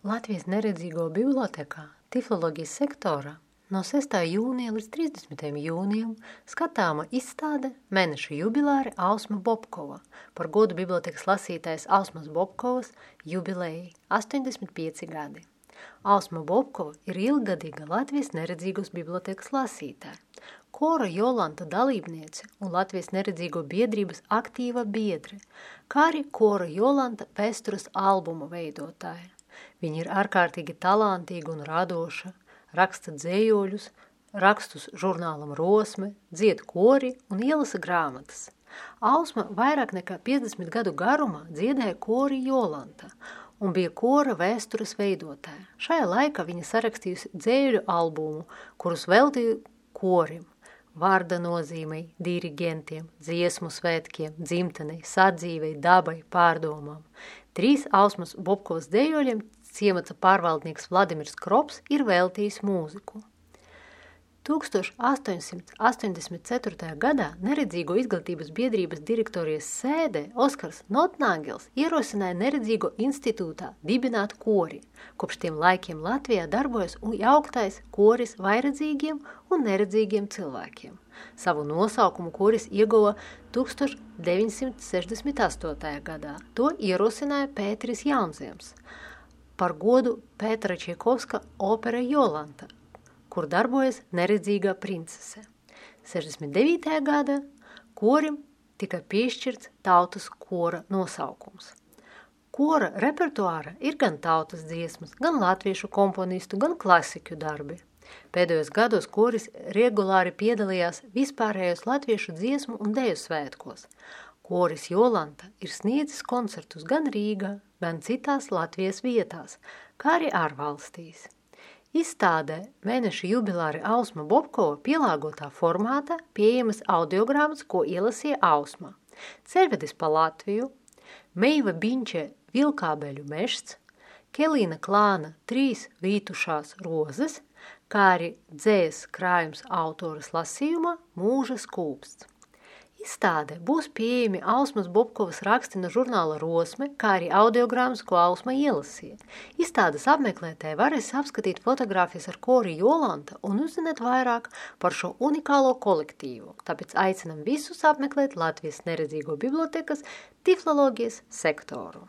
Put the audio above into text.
Latvijas neredzīgo bibliotekā tifloloģijas sektorā no 6. jūnija līdz 30. jūnijam skatāma izstāde Mēneša jubilāre Ausma Bobkova par godu bibliotekas lasītājas Ausmas Bobkovas jubilejai 85 gadi. Ausma Bobkova ir ilggadīga Latvijas neredzīgos bibliotekas lasītāja, kora Jolanta dalībniece un Latvijas neredzīgo biedrības aktīva biedre, kā arī kora Jolanta vēstures albuma veidotāja. Viņa ir ārkārtīgi talantīga un radoša, raksta dzējoļus, rakstus žurnālam Rosme, dzied kori un ielasa grāmatas. Ausma vairāk nekā 50 gadu garumā dziedēja kori Jolanta un bija kora vēstures veidotāja. Šajā laikā viņa sarakstījusi dzējoļu albumu, kurus veltīja korim, vārda nozīmei, dirigentiem, dziesmu svētkiem, dzimtenei, sadzīvei, dabai, pārdomām. 3 Ausmas Bobkovas dzējoļiem ciemata pārvaldnieks Vladimirs Krops ir veltījis mūziku. 1884. gadā Neredzīgo izglītības biedrības direktorijas sēdē Oskars Notnāgels ierosināja Neredzīgo institūtā dibināt kori. Kopš tiem laikiem Latvijā darbojas jauktais koris vairedzīgiem un neredzīgiem cilvēkiem. Savu nosaukumu koris ieguva 1968. gadā. To ierosināja Pēteris Jaunziems par godu Pētera Čaikovska opera Jolanta, kur darbojas neredzīgā princese. 69. gada korim tika piešķirts tautas kora nosaukums. Kora repertuāra ir gan tautas dziesmas, gan latviešu komponistu, gan klasiķu darbi. Pēdējos gados koris regulāri piedalījās vispārējos latviešu dziesmu un deju svētkos. Koris Jolanta ir sniedzis koncertus gan Rīgā, gan citās Latvijas vietās, kā arī ārvalstīs. Izstādē Mēneša jubilāre Ausma Bobkova pielāgotā formātā pieejamas audiogrāmas, ko ielasīja Ausma. Ceļvedis pa Latviju, Meiva Biņče Vilkābeļu mežs, Kelīna Klāna 3 vītušās rozes, kā arī dzējas krājums autoras lasījumā Mūža skūpsts. Izstādē būs pieejami Ausmas Bobkovas raksti no žurnāla Rosme, kā arī audiogrāmas, ko Ausma ielasīja. Izstādes apmeklētāji varēs apskatīt fotogrāfijas ar kori Jolanta un uzzināt vairāk par šo unikālo kolektīvu. Tāpēc aicinam visus apmeklēt Latvijas neredzīgo bibliotekas tifloloģijas sektoru.